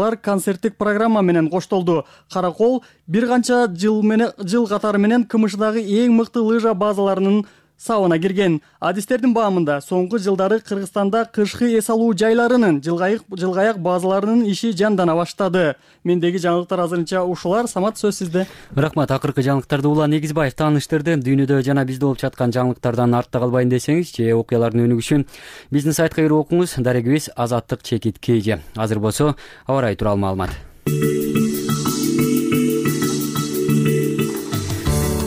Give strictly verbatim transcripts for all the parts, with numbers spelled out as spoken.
Алар концерттик программа менен коштолду. Каракол бир канча жыл менен жыл катары менен КМШдагы эң мыкты лыжа базаларынын сабына кирген. Адистердин баамында соңку жылдары Кыргызстанда кышкы эс алуу жайларынын жылгайык жылгаяк базаларынын иши жандана баштады. Мендеги жаңылыктар азырынча ушулар. Самат, сөз сизде. Рахмат. Акыркы жаңылыктарды Улан Негизбаев тааныштырды. Дүйнөдө жана бизде болуп жаткан жаңылыктардан артта калбайын десеңиз, же окуялардын өнүгүшүн биздин сайтка кирип окуңуз. Дарегибиз Азаттык чекит кж. Азыр болсо аба ырайы тууралуу маалымат.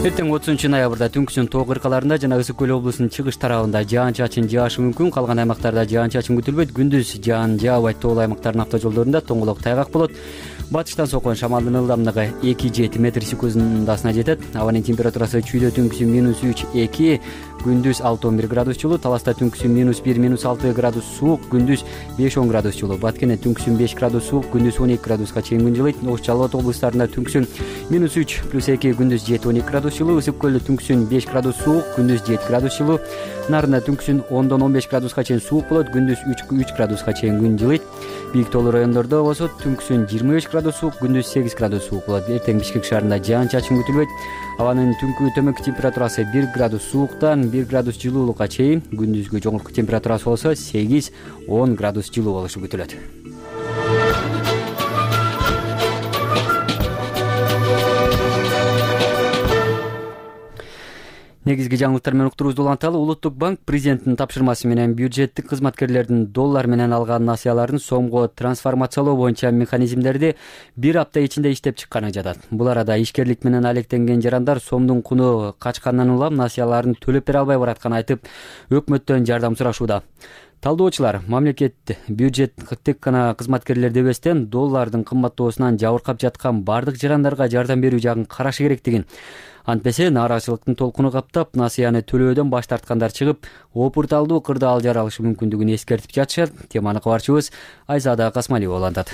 Эртең отузунчу ноябрда түнкүсүн тоо кыркаларында жана Ысык көл облусунун чыгыш тарабында жаан-чачын жаашы мүмкүн. Калган аймактарда жаан-чачын күтүлбөйт. Күндүз жаан жаабайт. Тоол аймактардын автожолдорунда тоңголок тайгак болот. Батыштан соккон шамалдын ылдамдыгы эки жети метр секундасына жетет. Абанын температурасы чүйдө түнкүсүн минус үч эки, күндүз алты он бир градус жылуу. Таласта түнкүсүн минус бир минус алты градус суук, күндүз беш он градус жылуу. Баткенде түнкүсүн беш градус суук, күндүз он эки градуска чейин күн жылыйт. Ош Жалал Абад облустарында түнкүсүн минус үч плюс эки, күндүз жети он эки градус жылуу. Ысык көлдө түнкүсүн беш градус суук, күндүз жети градус жылуу. Нарында түнкүсүн ондон он беш градуска чейин суук болот, күндүз үч градуска чейин күн жылыйт. Бийик тоолуу райондордо болсо түнкүсүн жыйырма беш градус суук, күндүз сегиз градус суук болот. Эртең Бишкек шаарында жаан-чачын күтүлбөйт. Абанын түнкү төмөнкү температурасы бир градус сууктан бир градус жылуулукка чейин, күндүзгү жогорку температурасы болсо сегиз он градус жылуу болушу күтүлөт. Негизги жаңылыктар менен уктуруубузду уланталы. Улуттук банк президенттин тапшырмасы менен бюджеттик кызматкерлердин доллар менен алган насыяларын сомго трансформациялоо боюнча механизмдерди бир апта ичинде иштеп чыкканы жатат. Бул арада ишкерлик менен алектенген жарандар сомдун куну качкандан улам насыяларын төлөп бере албай баратканын айтып, өкмөттөн жардам сурашууда. Талдоочулар мамлекет бюджеттик гана кызматкерлерди эбестен доллардын кымбаттоосунан жабыркап жаткан бардык жарандарга жардам берүү жагын карашы керектигин, антпесе нааразычылыктын толкуну каптап, насыяны төлөөдөн баш тарткандар чыгып, опурталдуу кырдаал алжар алышы мүмкүндүгүн эскертип жатышат. Теманы кабарчыбыз Айзада Касмалиева улантат.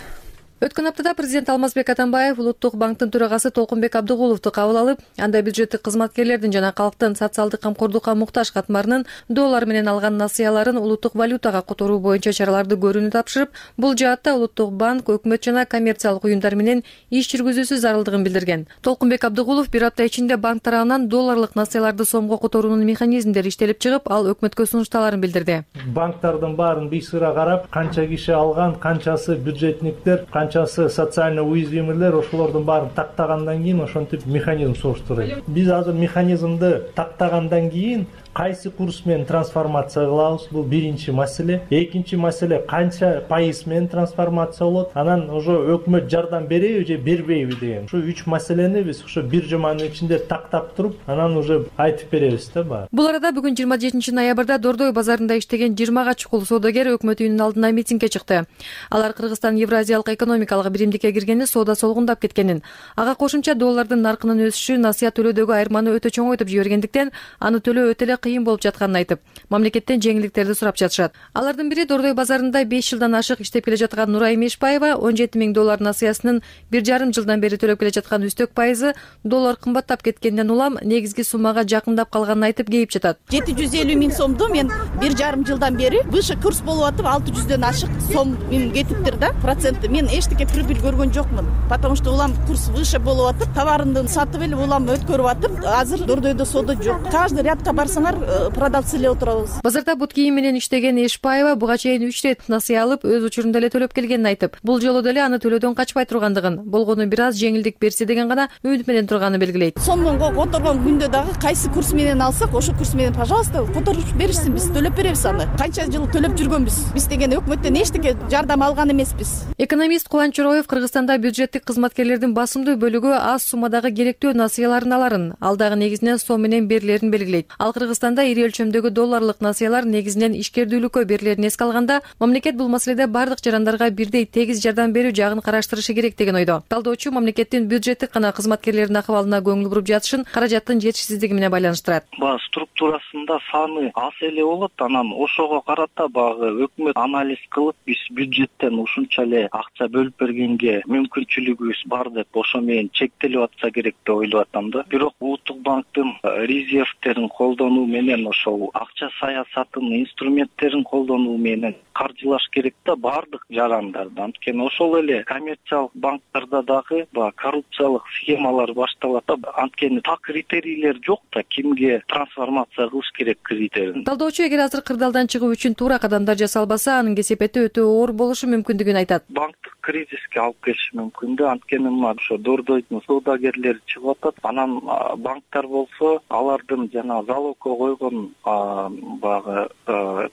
Өткөн аптада президент Алмазбек Атамбаев Улуттук банктын төрагасы Толкунбек Абдыгуловду кабыл алып, анда бюджеттик кызматкерлердин жана калктын социалдык камкордукка муктаж катмарынын доллар менен алган насыяларын улуттук валютага которуу боюнча чараларды көрүүнү тапшырып, бул жаатта Улуттук банк өкмөт жана коммерциялык уюмдар менен иш жүргүзүүсү зарылдыгын билдирген. Толкунбек Абдыгулов бир апта ичинде банк тарабынан долларлык насыяларды сомго которуунун механизмдери иштелип чыгып, ал өкмөткө сунушталарын билдирди. Банктардын баарын бийсыра карап, канча киши алган, канчасы бюджетниктер, канчасы социально уязвимыйлер, ошолордун баарын тактагандан кийин ошентип механизм соштурайт. Биз азыр механизмди тактагандан кийин кайсы курс менен трансформация кылабыз, бул биринчи маселе. Экинчи маселе, канча пайыз менен трансформация болот, анан ошо өкмөт жардам береби же бербейби деген. Ушу үч маселени биз ошо бир жуманын ичинде тактап туруп, анан уже айтып беребиз да баары. Бул арада бүгүн жыйырма жетинчи ноябрда Дордой базарында иштеген жыйырмага чукул соодагер өкмөт үйүнүнүн алдына митингге чыкты. Алар Кыргызстан Евразиялык экономикалык биримдикке киргени соода солгундап кеткенин, ага кошумча доллардын наркынын өсүшү насыя төлөөдөгү айырманы өтө чоңойтуп жибергендиктен аны төлөө өтө эле кыйын болуп жатканын айтып, мамлекеттен жеңилдиктерди сурап жатышат. Алардын бири Дордой базарында беш жылдан ашык иштеп келе жаткан Нурай Мешбаева он жети миң доллар насыясынын бир жарым жылдан бери төлөп келе жаткан үстөк пайызы доллар кымбаттап кеткенден улам негизги суммага жакындап калганын айтып кейип жатат. жети жүз элүү миң сомду мен бир жарым жылдан бери выше курс болуп атып алты жүздөн ашык сом мен кетиптир да, проценти. Мен эчтеке прибыль көргөн жокмун, потому что улам курс выше болуп атып, товарымды сатып эле улам өткөрүп атып, азыр Дордойдо соода жок. Каждый рядка барсаңар продавцы эле отурабыз. Базарда бут кийим менен иштеген Эшбаева буга чейин үч рет насыя алып, өз учурунда эле төлөп келгенин айтып, бул жолу деле аны төлөөдөн качпай тургандыгын, болгону бир аз жеңилдик берсе деген гана үмүт менен турганын белгилейт. Сомго которгон күндө дагы кайсы курс менен алсак, ошо курс менен, пожалуйста, которуп беришсин, биз төлөп беребиз аны. Канча жыл төлөп жүргөнбүз. Биз деген өкмөттөн эчтеке жардам алган эмеспиз. Экономист Кубанч Чороев Кыргызстанда бюджеттик кызматкерлердин басымдуу бөлүгү аз суммадагы керектүү насыяларын аларын, ал дагы негизинен сом менен берилерин белгилейт. Ал Кыргызстанда ири өлчөмдөгү долларлык насыялар негизинен ишкердүүлүккө берилерин эске алганда, мамлекет бул маселеде бардык жарандарга бирдей тегиз жардам берүү жагын караштырышы керек деген ойдо. Талдоочу мамлекеттин бюджеттик гана кызматкерлердин акыбалына көңүл буруп жатышын каражаттын жетишсиздиги менен байланыштырат. Баа структурасында саны аз эле болот, анан ошого карата багы өкмөт анализ кылып, биз бюджеттен ушунча эле акча бөлүп бергенге мүмкүнчүлүгүбүз бар деп ошо менен чектелип атса керек деп ойлоп атам да. Бирок Улуттук банктын резервтерин колдонуу менен ошол акча саясатынын инструменттерин колдонуу менен каржылаш керек да баардык жарандарды. Анткени ошол эле коммерциялык банктарда дагы баягы коррупциялык схемалар башталат да. Анткени так критерийлер жок да, кимге трансформация кылыш керек критерийин. Талдоочу эгер азыр кырдаалдан чыгуу үчүн туура кадамдар жасалбаса, анын кесепети өтө оор болушу мүмкүндүгүн айтат. Банктык кризиске алып келиши мүмкүн да. Анткени мына ошо Дордойдун соодагерлери чыгып атат. Анан банктар болсо алардын жана залогко койгон баягы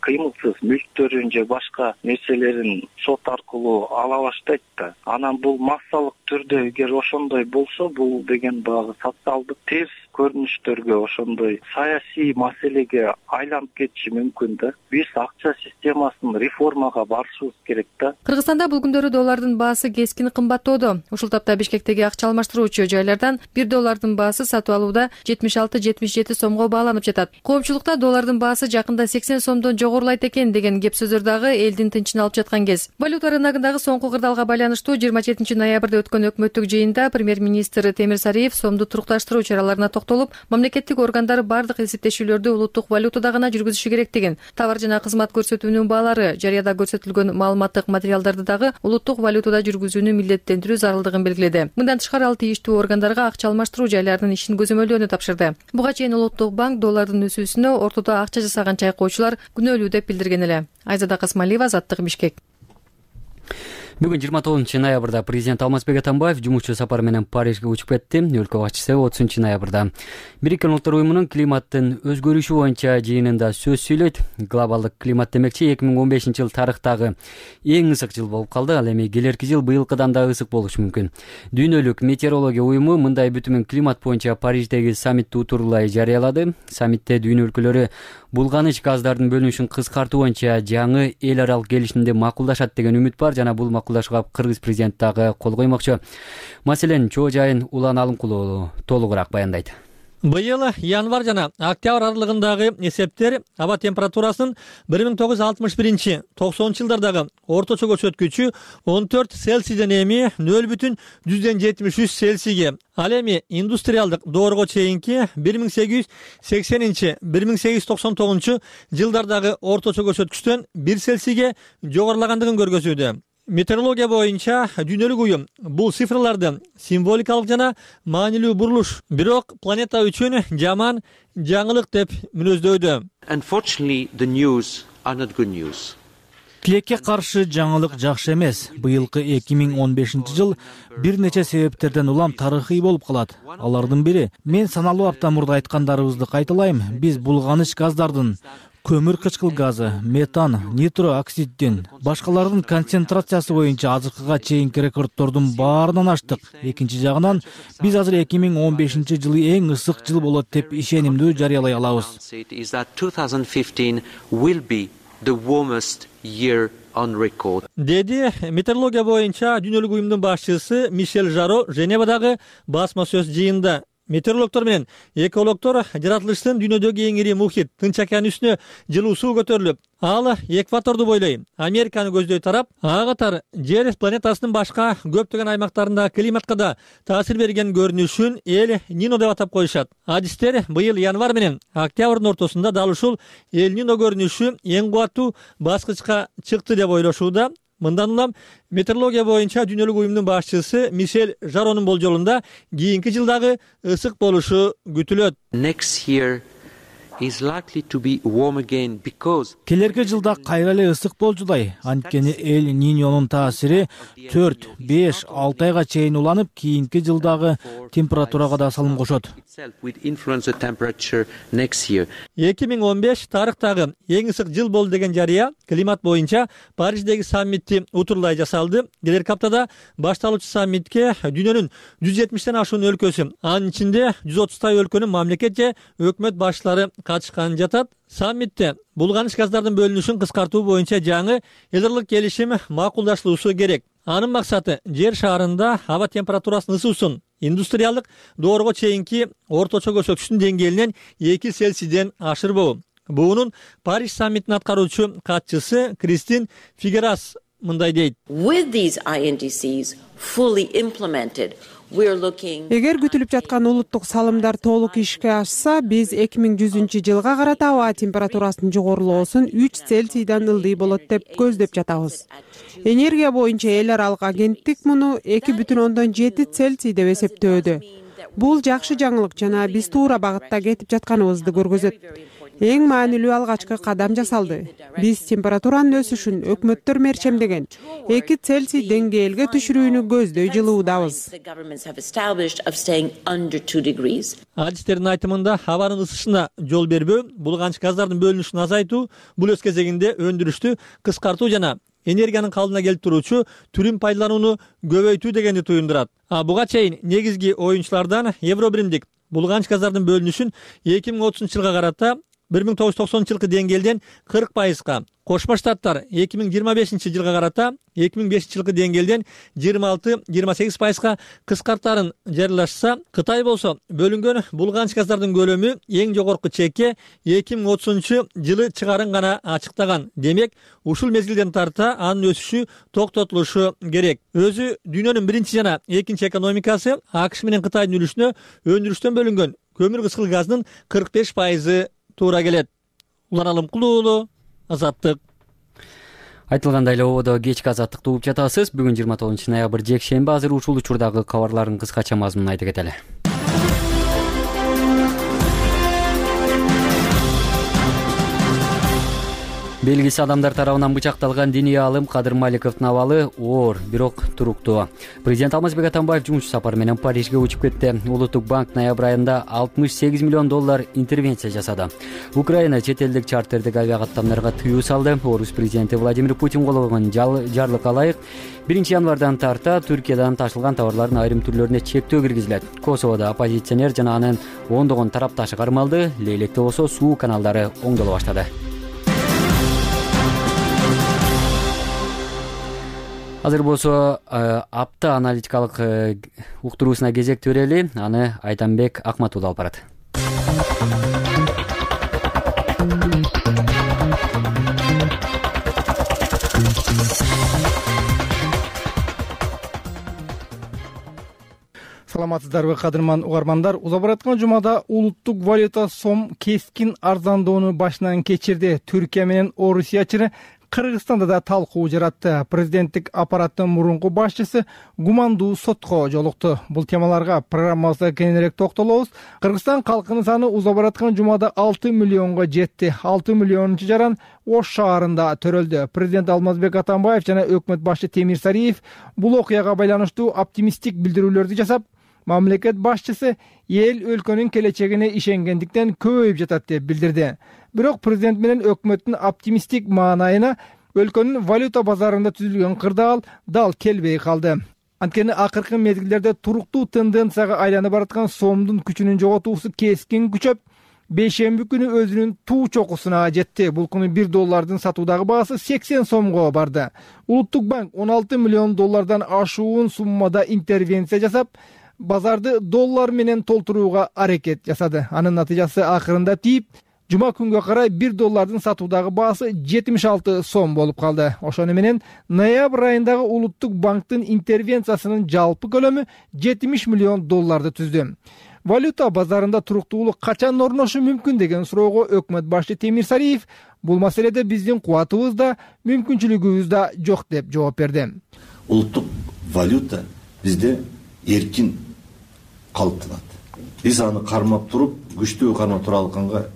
кыймылсыз мүлктөрүн же башка нерселерин сот аркылуу ала баштайт да. Анан бул массалык түрдө эгер ошондой болсо, бул деген баягы социалдык терс көрүнүштөргө, ошондой саясий маселеге айланып кетиши мүмкүн да. Биз акча системасын реформага барышыбыз керек да. Кыргызстанда бул күндөрү доллардын баасы кескин кымбаттоодо. Ушул тапта Бишкектеги акча алмаштыруучу жайлардан бир доллардын баасы сатып алууда жетимиш алты жетимиш жети сомго бааланып жатат. Коомчулукта доллардын баасы жакында сексен сомдон жогорулайт экен деген кеп сөздөр дагы элдин тынчын алып жаткан кез. Валюта рыногундагы соңку кырдаалга байланыштуу жыйырма жетинчи ноябрда өткөн өкмөттүк жыйында премьер-министр Темир Сариев сомду турукташтыруу чараларына токтолуп, мамлекеттик органдар бардык эсептешүүлөрдү улуттук валютада гана жүргүзүшү керектигин, товар жана кызмат көрсөтүүнүн баалары, жарыяда көрсөтүлгөн маалыматтык материалдарды дагы улуттук валютада жүргүзүүнү милдеттендирүү зарылдыгын белгиледи. Мындан тышкары ал тийиштүү органдарга акча алмаштыруу жайларынын ишин көзөмөлдөөнү тапшырды. Буга чейин улуттук банк доллардын өсүүсүнө ортодо акча жасаган чайкоочулар күнөөлүү деп билдирген эле. Айзада Касмалиева, Азаттык, Бишкек. Бүгүн жыйырма тогузунчу ноябрда президент Алмазбек Атамбаев жумушчу сапары менен Парижге учуп кетти. Өлкө башчысы отузунчу ноябрда Бириккен Улуттар уюмунун климаттын өзгөрүшү боюнча жыйынында сөз сүйлөйт. Глобалдык климат демекчи эки миң он бешинчи жыл тарыхтагы эң ысык жыл болуп калды. Ал эми келерки жыл быйылкыдан да ысык болушу мүмкүн. Дүйнөлүк метеорология уюму мындай бүтүмүн климат боюнча Париждеги саммитти утурлай жарыялады. Саммитте дүйнө өлкөлөрү булганыч газдардын бөлүнүшүн кыскартуу боюнча жаңы эл аралык келишимди макулдашат деген үмүт бар жана бул макулдашууга Кыргыз президенти дагы кол коймокчу. Маселен, чоо жайын Улан Алымкулуу толугураак баяндайт. Быйыл январь жана октябрь аралыгындагы эсептер аба температурасынын бир миң тогуз жүз алтымыш биринчи токсонунчу жылдардагы орточо көрсөткүчү он төрт Цельсийден эми нөл бүтүн жүздөн жетимиш үч Цельсийге, ал эми индустриалдык доорго чейинки бир миң сегиз жүз сексенинчи бир миң сегиз жүз токсон тогузунчу жылдардагы орточо көрсөткүчтөн бир Цельсийге жогорулагандыгын көргөзүүдө. Метеорология боюнча дүйнөлүк уюм бул цифрларды символикалык жана маанилүү бурулуш, бирок планета үчүн жаман жаңылык деп мүнөздөйдү. Unfortunately, the news are not good news. Тилекке каршы жаңылык жакшы эмес. Быйылкы эки миң он бешинчи жыл бир нече себептерден улам тарыхый болуп калат. Алардын бири, мен саналуу апта мурда айткандарыбызды кайталайм, биз булганыч газдардын, көмүр кычкыл газы, метан, нитро оксиддин, башкалардын концентрациясы боюнча азыркыга чейинки рекорддордун баарынан аштык. Экинчи жагынан, биз азыр эки миң он бешинчи жылы эң ысык жыл болот деп ишенимдүү жарыялай алабыз. Деди метеорология боюнча дүйнөлүк уюмдун башчысы Мишель Жаро Женевадагы басма сөз жыйында. Метеорологдор менен экологдор жаратылыштын дүйнөдөгү эң ири мухит Тынч океан үстүнө жылуу суу көтөрүлүп, ал экваторду бойлой Американы көздөй тарап, ага катар жер планетасынын башка көптөгөн аймактарында климатка да таасир берген көрүнүшүн эл Нино деп атап коюшат. Адистер быйыл январь менен октябрдын ортосунда дал ушул эл Нино көрүнүшү эң кубаттуу баскычка чыкты деп ойлошууда. Мындан улам метеорология боюнча дүйнөлүк уюмдун башчысы Мишель Жаронун болжолунда кийинки жылдагы ысык болушу күтүлөт. Next year is likely to be warm again because келерки жылда кайра эле ысык болжудай. Анткени эл Ниньонун таасири төрт, беш, алты айга чейин уланып, кийинки жылдагы температурага да салым кошот. эки миң он беш тарыхтагы эң ысык жыл болду деген жарыя климат боюнча Париждеги саммитти утурлай жасалды. Келерки аптада башталуучу саммитке дүйнөнүн жүз жетимиштен ашуун өлкөсү, анын ичинде жүз отуздай өлкөнүн мамлекет же өкмөт башчылары катышкан жатат. Саммитте булганыч газдардын бөлүнүшүн кыскартуу боюнча жаңы эл аралык келишим макулдашылуусу керек. Анын максаты жер шаарында аба температурасынын ысуусун индустриалдык доорго чейинки орточо көрсөткүчтүн деңгээлинен эки Цельсийден ашырбоо. Буунун Париж саммитинин аткаруучу катчысы Кристин Фигерас мындай дейт. With these I N D Cs fully implemented, Эгер күтүлүп жаткан улуттук салымдар толук ишке ашса, биз эки миң жүзүнчү жылга карата аба температурасынын жогорулоосун үч Цельсийдан ылдый болот деп көздөп жатабыз. Энергия боюнча эл аралык агенттик муну эки бүтүн ондон жети Цельсий деп эсептөөдө. Бул жакшы жаңылык жана биз туура багытта кетип жатканыбызды көргөзөт. Эң маанилүү алгачкы кадам жасалды. Биз температуранын өсүшүн өкмөттөр мерчемдеген эки Цельсий деңгээлге түшүрүүнү көздөй жылуудабыз. Адистердин айтымында абанын ысышына жол бербөө, булганч газдардын бөлүнүшүн азайтуу, бул өз кезегинде өндүрүштү кыскартуу жана энергиянын калдына келип туруучу түрүн пайдаланууну көбөйтүү дегенди туюндурат. А буга чейин негизги оюнчулардан Евробиримдик булганч газдардын бөлүнүшүн эки миң отузунчу жылга карата бир миң тогуз жүз токсонунчу жылкы деңгээлден кырк пайызга, Кошмо Штаттар эки миң жыйырма бешинчи жылга карата эки миң бешинчи жылкы деңгээлден жыйырма алты — жыйырма сегиз пайызга кыскартарын жарыялашса, Кытай болсо бөлүнгөн булганч газдардын көлөмү эң жогорку чекке эки миң отузунчу жылы чыгарын гана ачыктаган. Демек, ушул мезгилден тарта анын өсүшү токтотулушу керек. Өзү дүйнөнүн биринчи жана экинчи экономикасы АКШ менен Кытайдын үлүшүнө өндүрүштөн бөлүнгөн көмүр кыскыл газынын кырк беш пайызы туура келет. Улан Алымкулуу, Азаттык. Айтылгандай эле ободо кечки азаттыкты угуп жатасыз. Бүгүн жыйырма тогузунчу ноябрь жекшемби. Азыр ушул учурдагы кабарлардын кыскача мазмунун айта кетели. Белгисиз адамдар тарабынан бычакталган диний аалым Кадыр Маликовдун абалы оор, бирок туруктуу. Президент Алмазбек Атамбаев жумуш сапары менен Парижге учуп кетти. Улуттук банк ноябрь айында алтымыш сегиз миллион доллар интервенция жасады. Украина чет элдик чартердик авиакаттамдарга тыюу салды. Орус президенти Владимир Путин кол койгон жарлыкка ылайык биринчи январдан тарта Түркиядан ташылган товарлардын айрым түрлөрүнө чектөө киргизилет. Косоводо оппозиционер жана анын ондогон тарапташы кармалды. Лейлекте болсо суу каналдары оңдоло баштады. Азыр болсо апта аналитикалык уктуруусуна кезекти берели. Аны Айтамбек Акматулла алып барат. Саламатсыздарбы, кадырман угармандар. Уза бараткан жумада улуттук валюта сом кескин арзандоону башынан кечирди. Түркия менен Орусия чыры Кыргызстанда да талкуу жаратты. Президенттик аппараттын мурунку башчысы гумандуу сотко жолукту. Бул темаларга программабызда кененирээк токтолобуз. Кыргызстан калкынын саны уза бараткан жумада алты миллионго жетти. алты миллионунчу жаран Ош шаарында төрөлдү. Президент Алмазбек Атамбаев жана өкмөт башчы Темир Сариев бул окуяга байланыштуу оптимисттик билдирүүлөрдү жасап, мамлекет башчысы эл өлкөнүн келечегине ишенгендиктен көбөйүп жатат деп билдирди. Бирок президент менен өкмөттүн оптимисттик маанайына өлкөнүн валюта базарында түзүлгөн кырдаал дал келбей калды. Анткени акыркы мезгилдерде туруктуу тенденцияга айланып бараткан сомдун күчүнүн жоготуусу кескин күчөп, бейшемби күнү өзүнүн туу чокусуна жетти. Бул күнү бир доллардын сатуудагы баасы сексен сомго барды. Улуттук банк он алты миллион доллардан ашуун суммада интервенция жасап, базарды доллар менен толтурууга аракет жасады. Анын натыйжасы акырында тийип, жума күнгө карай бир доллардын сатуудагы баасы жетимиш алты сом болуп калды. Ошону менен ноябрь айындагы улуттук банктын интервенциясынын жалпы көлөмү жетимиш миллион долларды түздү. Валюта базарында туруктуулук качан орношу мүмкүн деген суроого өкмөт башчы Темир Сариев бул маселеде биздин кубатыбыз да, мүмкүнчүлүгүбүз да жок деп жооп берди. Улуттук валюта бизде эркин калыптанат. Биз аны кармап туруп, күчтүү кармап тура алганга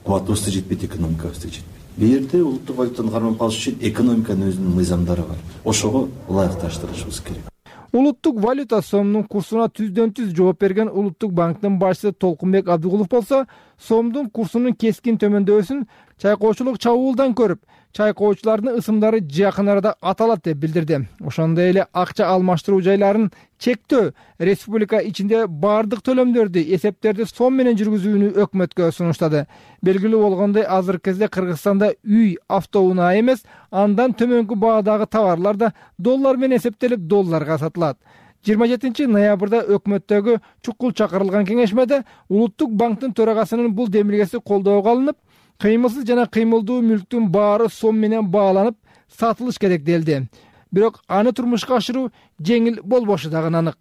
кубатыбыз да жетпейт, экономикабыз да жетпейт. Бул жерде улуттук валютаны кармап калыш үчүн экономиканын өзүнүн мыйзамдары бар. Ошого ылайыкташтырышыбыз керек. Улуттук валюта сомдун курсуна түздөн түз жооп берген улуттук банктын башчысы Толкунбек Абдыгулов болсо, сомдун курсунун кескин төмөндөсүн чайкоочулук чабуулдан көрүп, чайкоочулардын ысымдары жакын арада аталат деп билдирди. Ошондой эле акча алмаштыруу жайларын чектөө, республика ичинде бардык төлөмдөрдү, эсептерди сом менен жүргүзүүнү өкмөткө сунуштады. Белгилүү болгондой, азыркы кезде Кыргызстанда үй, автоунаа эмес, андан төмөнкү баадагы товарлар да доллар менен эсептелип, долларга сатылат. жыйырма жетинчи ноябрда өкмөттөгү чукул чакырылган кеңешмеде улуттук банктын төрагасынын бул демилгеси колдоого алынып, кыймылсыз жана кыймылдуу мүлктүн баары сом менен бааланып сатылыш керек делди. Бирок аны турмушка ашыруу жеңил болбошу дагы анык.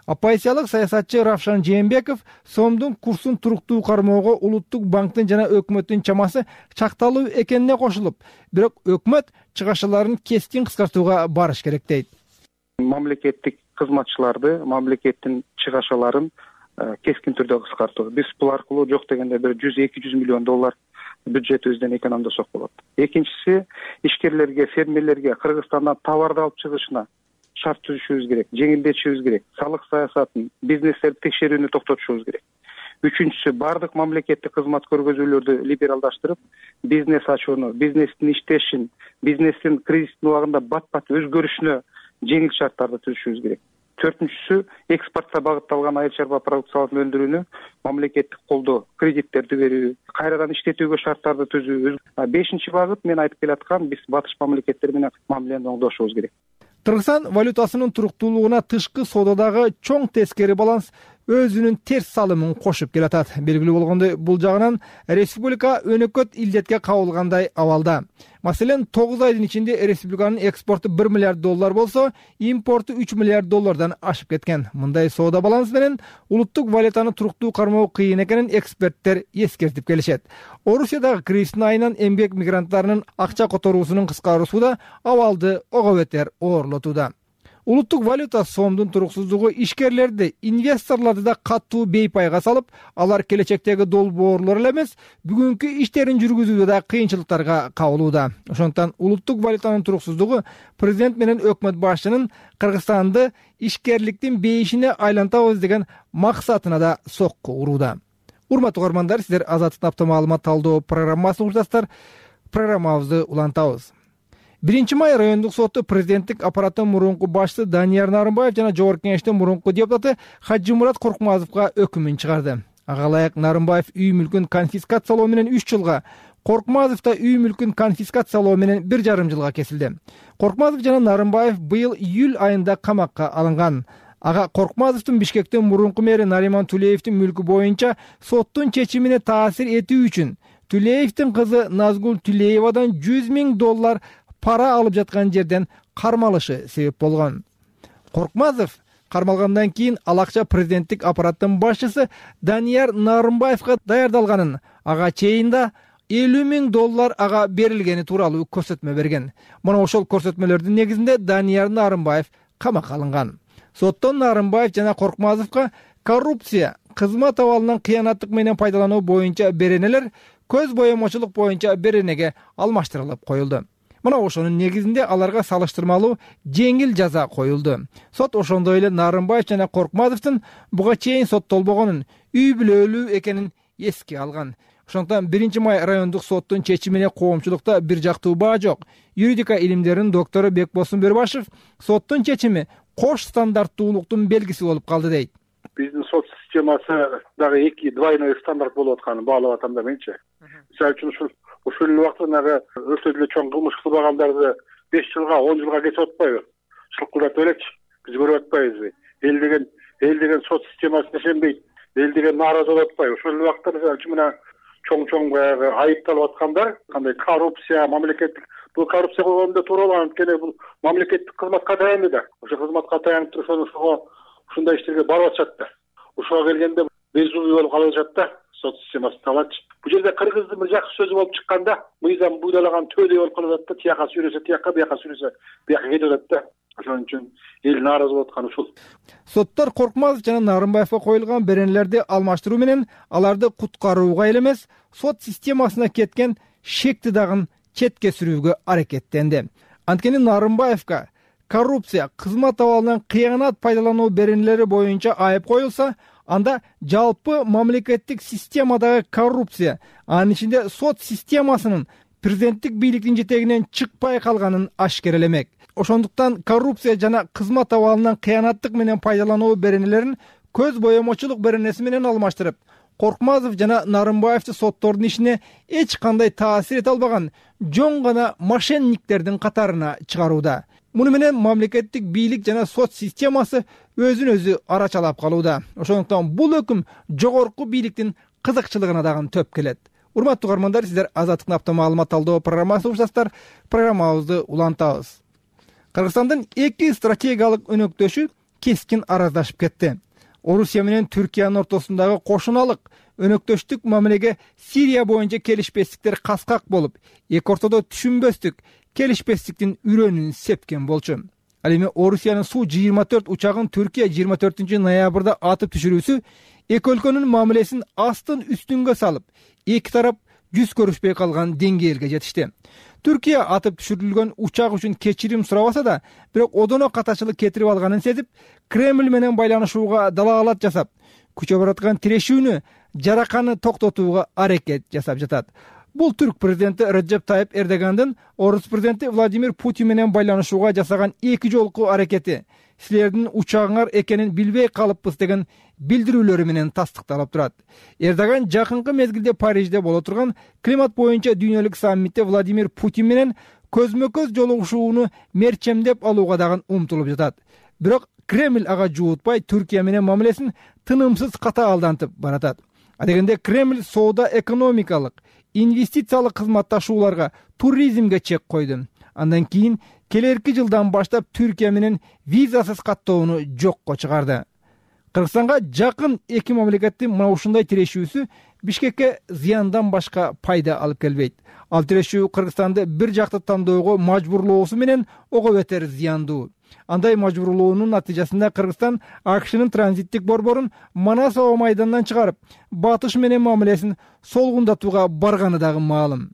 Оппозициялык саясатчы Равшан Жээнбеков сомдун курсун туруктуу кармоого улуттук банктын жана өкмөттүн чамасы чакталуу экенине кошулуп, бирок өкмөт чыгашаларын кескин кыскартууга барыш керек дейт. Мамлекеттик кызматчыларды, мамлекеттин чыгашаларын кескин түрдө кыскартуу. Биз бул аркылуу жок дегенде бир жүз эки жүз миллион доллар бюджетибизден экономдосок болот. Экинчиси, ишкерлерге, фермерлерге Кыргызстандан товарды алып чыгышына шарт түзүшүбүз керек, жеңилдетишибиз керек, салык саясатын, бизнестерди текшерүүнү токтотушубуз керек. Үчүнчүсү, бардык мамлекеттик кызмат көргөзүүлөрдү либералдаштырып, бизнес ачууну, бизнестин иштешин, бизнестин кризистин убагында бат-бат өзгөрүшүнө жеңил шарттарды түзүшүбүз керек. Төртүнчүсү, экспортко багытталган айыл чарба продукцияларын өндүрүүнү мамлекеттик колдоо, кредиттерди берүү, кайрадан иштетүүгө шарттарды түзүү. Бешинчи багыт, мен айтып келаткан, биз батыш мамлекеттер менен мамилени оңдошубуз керек. Кыргызстан валютасынын туруктуулугуна тышкы соодадагы чоң тескери баланс өзүнүн терс салымын кошуп келатат. Белгилүү болгондой, бул жагынан республика өнөкөт илдетке кабылгандай абалда. Маселен, тогуз айдын ичинде республиканын экспорту бир миллиард доллар болсо, импорту үч миллиард доллардан ашып кеткен. Мындай соода баланс менен улуттук валютаны туруктуу кармоо кыйын экенин эксперттер эскертип келишет. Орусиядагы кризистин айынан эмгек мигранттарынын акча которуусунун кыскаруусу да абалды ого бетер оорлотууда. Улуттук валюта сомдун туруксуздугу ишкерлерди, инвесторлорду да катуу бейпайга салып, алар келечектеги долбоорлор эле эмес, бүгүнкү иштерин жүргүзүүдө да кыйынчылыктарга кабылууда. Ошондуктан улуттук валютанын туруксуздугу президент менен өкмөт башчынын Кыргызстанды ишкерликтин бейишине айлантабыз деген максатына да сокку урууда. Урматтуу угармандар, сиздер Азаттык автомаалымат талдоо программасын угуштасыздар. Программабызды улантабыз. биринчи май райондук соту президенттик аппараттын мурунку башчысы Данияр Нарымбаев жана Жогорку Кеңештин мурунку депутаты Хажимурат Коркмазовго өкүмүн чыгарды. Ага ылайык Нарымбаев үй мүлкүн конфискациялоо менен үч жылга, Коркмазов да үй мүлкүн конфискациялоо менен бир жарым жылга кесилди. Коркмазов жана Нарымбаев быйыл июль айында камакка алынган. Ага Коркмазовдун Бишкектин мурунку мэри Нариман Тулеевдин мүлкү боюнча соттун чечимине таасир этүү үчүн Тулеевдин кызы Назгул Тулеевадан жүз миң доллар пара алып жаткан жерден кармалышы себеп болгон. Коркмазов кармалгандан кийин ал акча президенттик аппараттын башчысы Данияр Нарымбаевга даярдалганын, ага чейин да элүү миң доллар ага берилгени тууралуу көрсөтмө берген. Мына ошол көрсөтмөлөрдүн негизинде Данияр Нарымбаев камакка алынган. Соттон Нарымбаев жана Коркмазовго коррупция, кызмат абалынан кыянаттык менен пайдалануу боюнча беренелер көз боемочулук боюнча беренеге алмаштырылып коюлду. Мына ошонун негизинде аларга салыштырмалуу жеңил жаза коюлду. Сот ошондой эле Нарымбаев жана Коркмазовдун буга чейин соттолбогонун, үй бүлөлүү экенин эске алган. Ошондуктан биринчи май райондук соттун чечимине коомчулукта бир жактуу баа жок. Юридика илимдеринин доктору Бекбосун Бөрбашев соттун чечими кош стандарттуулуктун белгиси болуп калды дейт. Биздин сот системасы дагы эки двойной стандарт болуп атканын баалап атам да менчи. Мисалы үчүн ушул ушул эле убактагы өтө эле чоң кылмыш кылбагандарды беш жылга, он жылга кесип атпайбы? Шылкылдатып элекчи. Биз көрүп атпайбызбы? Эл деген эл деген сот системасына ишенбейт. Эл деген нааразы болуп атпайбы? Ошол эле убакта мисалы үчүн мына чоң-чоң баягы айыпталып аткандар, кандай коррупция, мамлекеттик бул коррупция болгондо туура, анткени бул мамлекеттик кызматка таянды да. Ошо кызматка таянып туруп ошого ушундай иштерге барып атышат да. Ошого келгенде безумный болуп калып атышат да. Сот системасы талач. Бул жерде кыргыздын бир жакшы сөзү болуп чыкканда, мыйзам буйдалаган төдөй болуп калып атат да, тияка сүйрөсө тияка, бияка сүйрөсө бияка кетип атат да. Ошон үчүн эл нааразы болуп атканы ушул. Соттор Коркмазов жана Нарымбаевга коюлган беренелерди алмаштыруу менен аларды куткарууга эле эмес, сот системасына кеткен шекти дагы четке сүрүүгө аракеттенди. Анткени Нарымбаевга коррупция, кызмат абалынан кыянат пайдалануу беренелери боюнча айып коюлса, анда жалпы мамлекеттик системадагы коррупция, анын ичинде сот системасынын президенттик бийликтин жетегинен чыкпай калганын ашкерелемек. Ошондуктан коррупция жана кызмат абалынан кыянаттык менен пайдалануу беренелерин көз боемочулук беренеси менен алмаштырып, Коркмазов жана Нарымбаевди соттордун ишине эч кандай таасир эте албаган жоң гана мошенниктердин катарына чыгарууда. Муну менен мамлекеттик бийлик жана сот системасы өзүн өзү арачалап калууда. Ошондуктан бул өкүм жогорку бийликтин кызыкчылыгына дагы төп келет. Урматтуу угармандар, сиздер Азаттыктын автомаалымат талдоо программасын угуштасыздар. Программабызды улантабыз. Кыргызстандын эки стратегиялык өнөктөшү кескин араздашып кетти. Орусия менен Түркиянын ортосундагы кошуналык өнөктөштүк мамилеге Сирия боюнча келишпестиктер каскак болуп, эки ортодо түшүнбөстүк келишпестиктин үрөнүн сепкен болчу. Ал эми Орусиянын Су жыйырма төрт учагын Түркия жыйырма төртүнчү ноябрда атып түшүрүүсү эки өлкөнүн мамилесин астын үстүнгө салып, эки тарап жүз көрүшпөй калган деңгээлге жетишти. Түркия атып түшүрүлгөн учак үчүн кечирим сурабаса да, бирок одоно катачылык кетирип алганын сезип, Кремль менен байланышууга далаалат жасап, күчө бараткан тирешүүнү, жараканы токтотууга аракет жасап жатат. Бул түрк президенти Реджеп Тайип Эрдогандын орус президенти Владимир Путин менен байланышууга жасаган эки жолку аракети силердин учагыңар экенин билбей калыппыз деген билдирүүлөрү менен тастыкталып турат. Эрдоган жакынкы мезгилде Парижде боло турган климат боюнча дүйнөлүк саммитте Владимир Путин менен көзмө-көз жолугушууну мерчемдеп алууга дагы умтулуп жатат. Бирок Кремль ага жуутпай Түркия менен мамилесин тынымсыз катаалдантып баратат. А дегенде Кремль соода экономикалык, инвестициялык кызматташууларга, туризмге чек койду. Андан кийин келерки жылдан баштап Түркия менен визасыз каттоону жокко чыгарды. Кыргызстанга жакын эки мамлекеттин мына ушундай тирешүүсү Бишкекке зыяндан башка пайда алып келбейт. Ал тирешүү Кыргызстанды бир жакты тандоого мажбурлоосу менен ого бетер зыяндуу. Андай мажбурлоонун натыйжасында Кыргызстан АКШнын транзиттик борборун Манас аба майданынан чыгарып, батыш менен мамилесин солгундатууга барганы дагы маалым.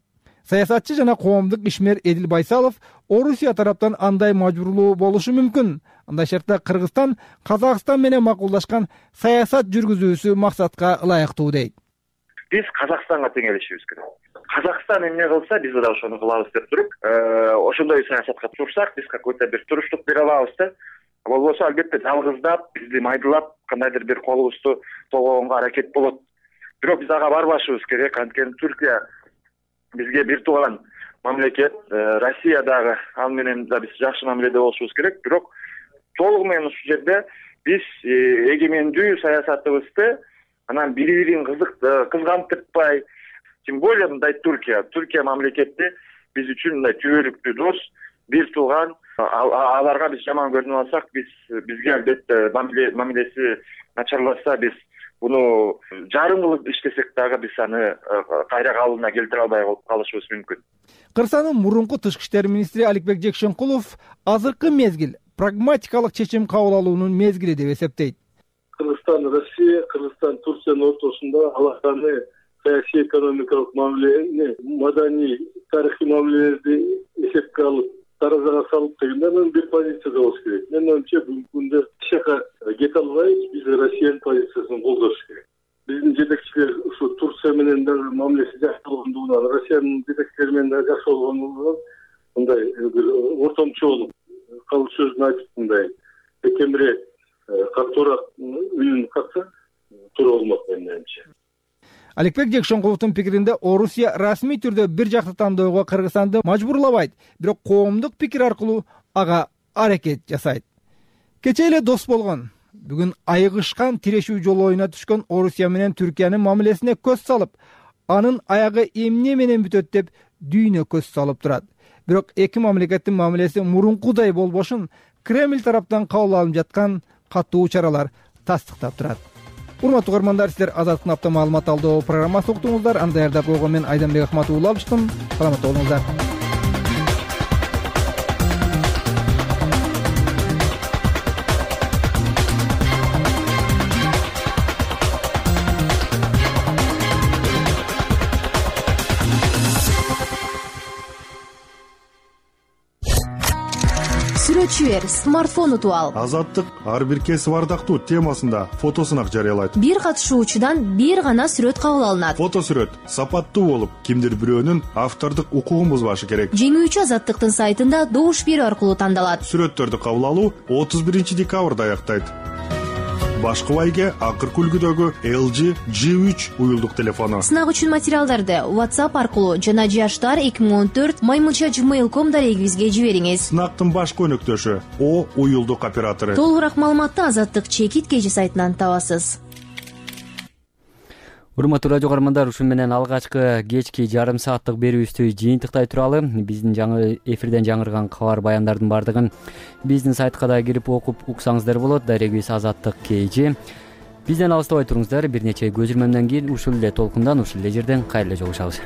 Саясатчы жана коомдук ишмер Эдил Байсалов Орусия тараптан андай мажбурлоо болушу мүмкүн. Андай шартта Кыргызстан Казакстан менен макулдашкан саясат жүргүзүүсү максатка ылайыктуу дейт. Биз Казакстанга теңелишибиз керек. Казакстан эмне кылса, биз да ошону кылабыз деп туруп, ошондой саясатка турсак, биз какой-то бир туруштук бере алабыз да. Болбосо албетте жалгыздап, бизди майдылап, кандайдыр бир колубузду тогоонго аракет болот. Бирок биз ага барбашыбыз керек. Анткени Түркия бизге бир тууган мамлекет, Россия дагы ал менен да биз жакшы мамиледе болушубуз керек. Бирок толугу менен ушул жерде биз эгемендүү саясатыбызды анан бири-бирин кызгантыртпай, тем более мындай Түркия, Түркия мамлекети биз үчүн мындай түбөлүктүү дос, бир тууган. Аларга биз жаман көрүнүп алсак, биз бизге албетте мамилеси начарласа, биз буну жарым кылып иштесек дагы биз аны кайра калыбына келтире албай калышыбыз мүмкүн. Кыргызстандын мурунку тышкы иштер министри Аликбек Жекшенкулов азыркы мезгил прагматикалык чечим кабыл алуунун мезгили деп эсептейт. Кыргызстан, Россия, Кыргызстан, Турциянын ортосунда алаканы саясий экономикалык мамилени, маданий, тарыхый мамилелерди эсепке алып, таразага салып дегенде мен бир позицияда болуш керек. Менин оюмча бүгүнкү күндө эч жака кете албайбыз, биз Россиянын позициясын колдош керек. Биздин жетекчилер ушу Турция менен дагы мамилеси жакшы болгондугунан, Россиянын жетекчилери менен дагы жакшы болгондугунан мындай бир ортомчу болуп калуу сөзүн айтып мындай экемире катуураак үнүн катса туура болмок менин оюмча. Аликбек Жекшенкуловдун пикиринде Орусия расмий түрдө бир жакты тандоого Кыргызстанды мажбурлабайт, бирок коомдук пикир аркылуу ага аракет жасайт. Кечээ эле дос болгон, бүгүн айыгышкан тирешүү жолоюна түшкөн Орусия менен Түркиянын мамилесине көз салып, анын аягы эмне менен бүтөт деп дүйнө көз салып турат. Бирок эки мамлекеттин мамилеси мурункудай болбошун Кремль тараптан кабыл алынып жаткан катуу чаралар тастыктап турат. Урматтуу угармандар, силер Азаттык апта маалымат алдоо программасын уктуңуздар. Аны даярдап койгон мен Айданбек Акматов уулу алыштым. Саламатта болуңуздар. Сүрөтчү бер, смартфон утуп ал. Азаттык ар бир кесип ардактуу темасында фотосунак жарыялайт. Бир катышуучудан бир гана сүрөт кабыл алынат. Фото сүрөт сапаттуу болуп, кимдир бирөөнүн автордук укугун бузбашы керек. Жеңүүчү Азаттыктын сайтында добуш берүү аркылуу тандалат. Сүрөттөрдү кабыл алуу отуз биринчи декабрда аяктайт. Башкы байге акыркы үлгүдөгү эл джи джи үч уюлдук телефону. Сынак үчүн материалдарды WhatsApp аркылуу жана жаштар эки миң он төрт маймылча жимейл точка ком дарегибизге жибериңиз. Сынактын башкы өнөктөшү О уюлдук оператору. Толугураак маалыматты Азаттык чекит кежи сайтынан табасыз. урматтуу радио каармандар, ушу менен алгачкы кечки жарым сааттык берүүбүздү жыйынтыктай туралы. Биздин жаңы эфирден жаңырган кабар баяндардын баардыгын биздин сайтка да кирип окуп уксаңыздар болот. Дарегибиз Азаттык Кж. Бизден алыстабай туруңуздар. Бир нече көзүрмөмдөн кийин ушул эле толкундан, ушул эле жерден кайра эле жолугушабыз.